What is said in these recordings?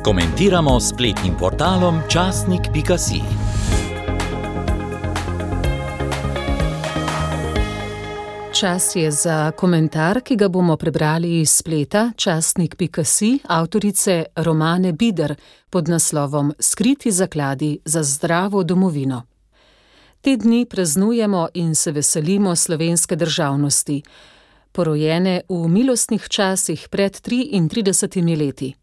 Komentiramo s spletnim portalom časnik.si. Čas je za komentar, ki ga bomo prebrali iz spleta časnik.si avtorice Romane Bider pod naslovom Skriti zakladi za zdravo domovino. Te dni praznujemo in se veselimo slovenske državnosti, porojene v milostnih časih pred 33 leti.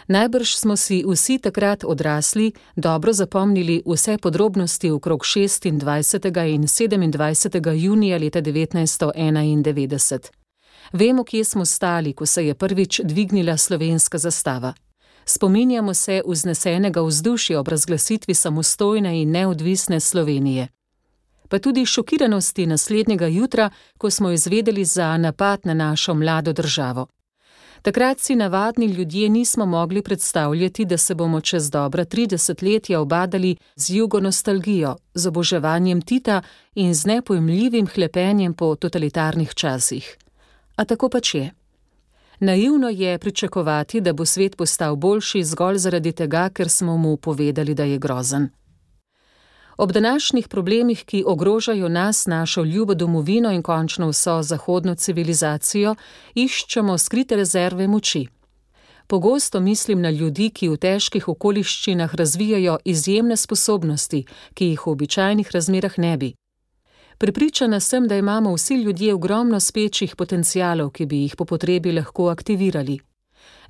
Najbrž smo si vsi takrat odrasli, dobro zapomnili vse podrobnosti okrog 26. in 27. junija leta 1991. Vemo, kje smo stali, ko se je prvič dvignila slovenska zastava. Spominjamo se vznesenega vzdušja ob razglasitvi samostojne in neodvisne Slovenije. Pa tudi šokiranosti naslednjega jutra, ko smo izvedeli za napad na našo mlado državo. Takrat si navadni ljudje nismo mogli predstavljati, da se bomo čez dobra 30 letja obadali z jugonostalgijo, z oboževanjem Tita in z nepojmljivim hlepenjem po totalitarnih časih. A tako pač je. Naivno je pričakovati, da bo svet postal boljši zgolj zaradi tega, ker smo mu povedali, da je grozen. Ob današnjih problemih, ki ogrožajo nas, našo ljubo domovino in končno vso zahodno civilizacijo, iščemo skrite rezerve moči. Pogosto mislim na ljudi, ki v težkih okoliščinah razvijajo izjemne sposobnosti, ki jih v običajnih razmerah ne bi. Prepričana sem, da imamo vsi ljudje ogromno spečih potencialov, ki bi jih po potrebi lahko aktivirali.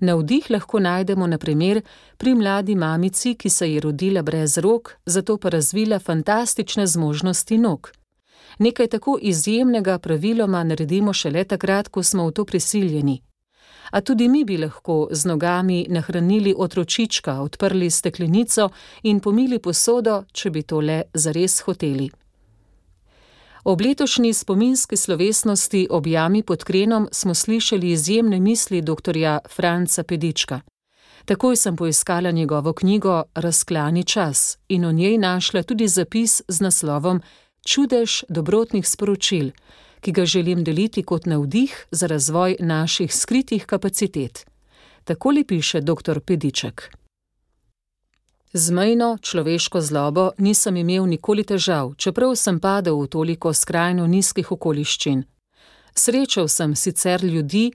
Navdih lahko najdemo na primer pri mladi mamici, ki se je rodila brez rok, zato pa razvila fantastične zmožnosti nog. Nekaj tako izjemnega praviloma naredimo šele takrat, ko smo v to prisiljeni. A tudi mi bi lahko z nogami nahranili otročička, odprli steklenico in pomili posodo, če bi to le zares hoteli. Ob letošnji spominski slovesnosti ob jami pod Krenom smo slišali izjemne misli doktorja Franca Pedička. Takoj sem poiskala njegovo knjigo Razklani čas in v njej našla tudi zapis z naslovom Čudež dobrotnih sporočil, ki ga želim deliti kot navdih za razvoj naših skritih kapacitet. Takole piše dr. Pediček. Z mejno človeško zlobo nisem imel nikoli težav, čeprav sem padel v toliko skrajno nizkih okoliščin. Srečal sem sicer ljudi,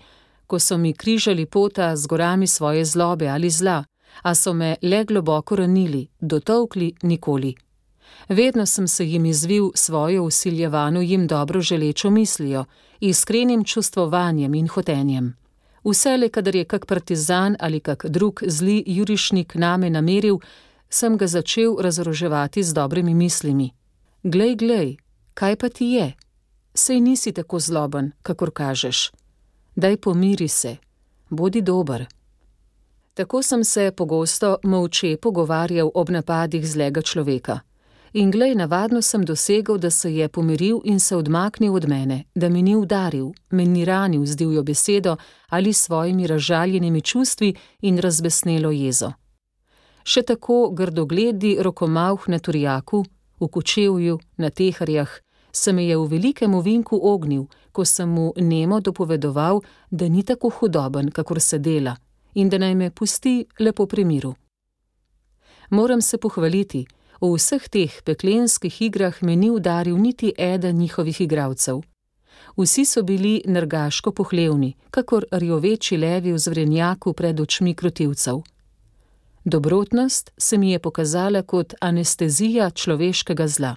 ko so mi križali pota z gorami svoje zlobe ali zla, a so me le globoko ranili, dotolkli nikoli. Vedno sem se jim izvil svojo vsiljevano jim dobro želečo mislijo, iskrenim čustvovanjem in hotenjem. Vselej, kadar je kak partizan ali kak drug zli jurišnik name nameril, sem ga začel razoroževati z dobrimi mislimi. Glej, kaj pa ti je? Sej nisi tako zloben, kakor kažeš. Daj pomiri se, bodi dober. Tako sem se pogosto molče pogovarjal ob napadih zlega človeka. In glej, navadno sem dosegel, da se je pomiril in se odmaknil od mene, da mi ni udaril, me ni ranil z divjo besedo ali svojimi razžaljenimi čustvi in razbesnelo jezo. Še tako grdogledi rokomavh na Turjaku, v Kočevju, na Teharjah, se me je v velikem ovinku ognil, ko sem mu nemo dopovedoval, da ni tako hudoben, kakor se dela, in da naj me pusti lepo pri miru. Moram se pohvaliti, v vseh teh peklenskih igrah me ni udaril niti eden njihovih igralcev. Vsi so bili nergaško pohlevni, kakor rjoveči levi v zvrenjaku pred očmi krotilcev. Dobrotnost se mi je pokazala kot anestezija človeškega zla.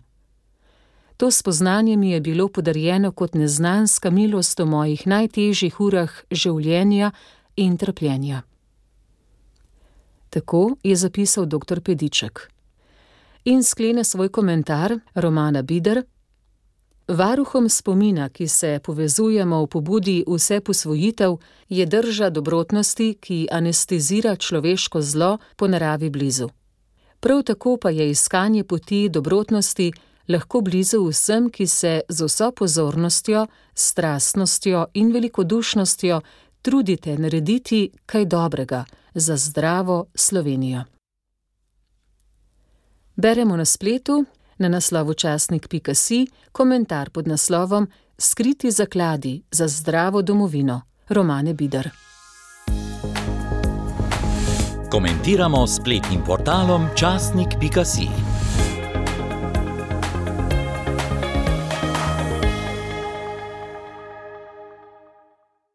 To spoznanje mi je bilo podarjeno kot neznanska milost v mojih najtežjih urah življenja in trpljenja. Tako je zapisal dr. Pediček. In sklene svoj komentar Romana Bider. Varuhom spomina, ki se povezujemo v pobudi vse posvojitev, je drža dobrotnosti, ki anestezira človeško zlo po naravi blizu. Prav tako pa je iskanje poti dobrotnosti lahko blizu vsem, ki se z vso pozornostjo, strastnostjo in velikodušnostjo trudite narediti kaj dobrega za zdravo Slovenijo. Beremo na spletu, na naslovu časnik.si, komentar pod naslovom Skriti zakladi za zdravo domovino Romane Bider. Komentiramo s spletnim portalom časnik.si.